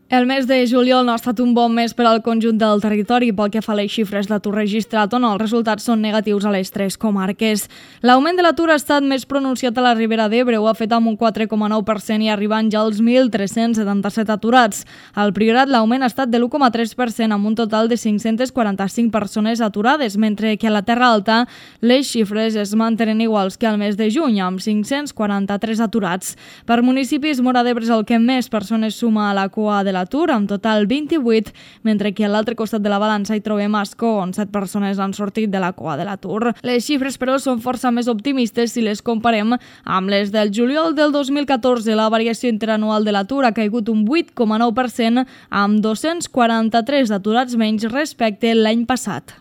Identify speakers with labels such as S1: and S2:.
S1: El mes de juliol no ha estat un bon mes per al conjunt del territori pel que fa a les xifres d'atur registrat, on els resultats són negatius a les tres comarques. L'augment de l'atur ha estat més pronunciat a la Ribera d'Ebre, ho ha fet amb un 4,9% i arribant ja als 1.377 aturats. Al Priorat l'augment ha estat de l'1,3% amb un total de 545 persones aturades, mentre que a la Terra Alta les xifres es mantenen iguals que al mes de juny, amb 543 aturats. Per municipis, Móra d'Ebre és el que més persones suma a la cua de l'atur, amb total 28, mentre que a l'altre costat de la balança hi trobem Ascó, on 7 persones han sortit de la cua de l'atur. Les xifres, però, són força més optimistes si les comparem amb les del juliol del 2014. La variació interanual de l'atur ha caigut un 8,9%, amb 243 aturats menys respecte l'any passat.